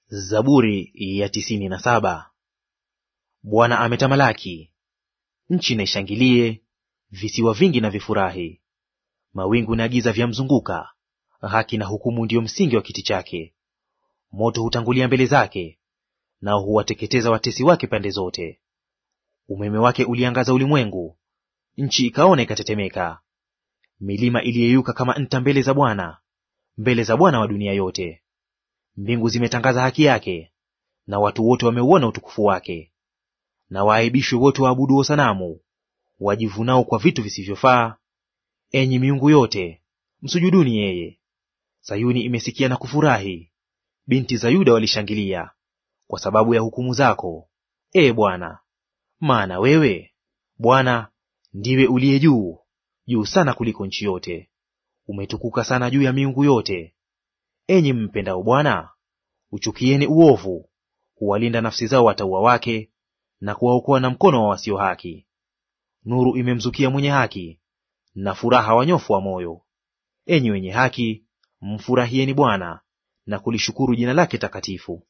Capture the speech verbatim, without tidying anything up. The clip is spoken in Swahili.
Zaburi ya tisini na saba. Bwana ametamalaki, nchi na ishangilie, visiwa vingi na vifurahi. Mawingu na giza vyamzunguka, haki na hukumu ndiyo msingi wa kiti chake. Moto hutangulia mbele zake, nao huwateketeza watesi wake pande zote. Umeme wake uliangaza ulimwengu, nchi ikaona ikatetemeka. Milima iliyeyuka kama nta mbele za Bwana, mbele za Bwana wa dunia yote. Mbingu zimetangaza haki yake, na watu wote wameuona utukufu wake. Na waaibishwe wote waabuduo sanamu, wajivunao kwa vitu visivyofaa. Enyi miungu yote, msujuduni yeye. Sayuni imesikia na kufurahi, binti za Yuda walishangilia, kwa sababu ya hukumu zako, e Bwana. Maana wewe, Bwana, ndiwe uliye juu, juu sana kuliko nchi yote. Umetukuka sana juu ya miungu yote. Enyi mpendao Bwana, uchukieni uovu. Huwalinda nafsi zao watauwa wake, na kuwaokoa na mkono wa wasio haki. Nuru imemzukia mwenye haki, na furaha wanyofu wa moyo. Enyi wenye haki, mfurahieni Bwana, na kulishukuru jina lake takatifu.